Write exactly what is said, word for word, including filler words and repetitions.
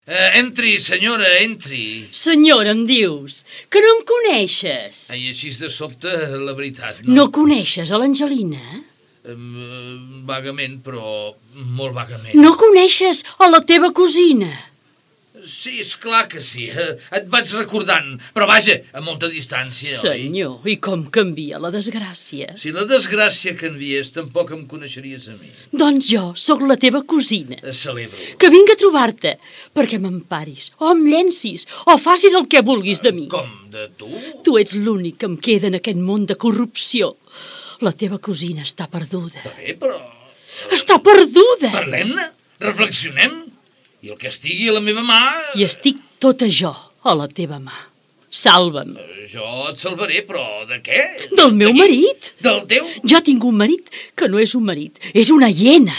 Uh, entri, senyora, entri. Senyora, em dius, que no em coneixes. Ai, així de sobte, la veritat, no? No coneixes a l'Angelina? Um, vagament, però molt vagament. No coneixes a la teva cosina? Sí, és clar que sí. Et vaig recordant, però vaja, a molta distància, Senyor, oi? i com canvia la desgràcia. Si la desgràcia canviés, tampoc em coneixeries a mi. Doncs jo sóc la teva cosina. Es celebro. Que vinc a trobar-te, perquè m'emparis, o em llencis, o facis el que vulguis de mi. Com, de tu? Tu ets l'únic que em queda en aquest món de corrupció. La teva cosina està perduda. Està bé, però... Està perduda! Parlem-ne, reflexionem, i el que estigui a la meva mà... I estic tota jo a la teva mà. Salva'm. Jo et salvaré, però de què? Del meu marit. Del teu? Jo tinc un marit que no és un marit, és una hiena.